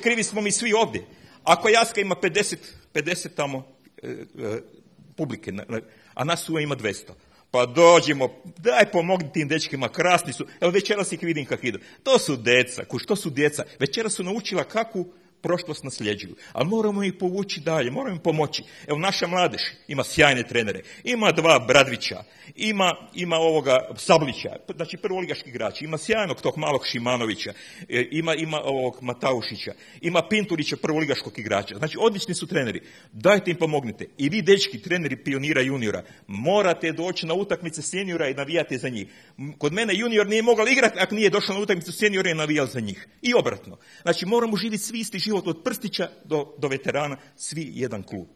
Krivi smo mi svi ovdje. Ako Jaska ima 50 tamo publike, a nas uvijek ima 200. Pa dođimo, daj pomogni tim dečkima, krasni su. Evo večeras ih vidim kako idu. To su djeca, što su djeca. Večeras su naučila kakvu prošlost nasljeđuju. Ali moramo ih povući dalje, moramo im pomoći. Evo naša mladež ima sjajne trenere. Ima 2 Bradvića, ima ovoga Sablića, znači prvoligaški igrači. Ima sjajnog tog malog Šimanovića, ima ovog Mataušića, ima Pinturića prvoligaškog igrača. Znači odlični su treneri. Dajte im pomognite. I vi dečki, treneri pionira juniora, morate doći na utakmice seniora i navijate za njih. Kod mene junior nije mogao igrati ako nije došao na utakmicu seniora i navijal za njih. I obratno. Znači moramo živjeti svi isti život od prstića do veterana, svi jedan klub.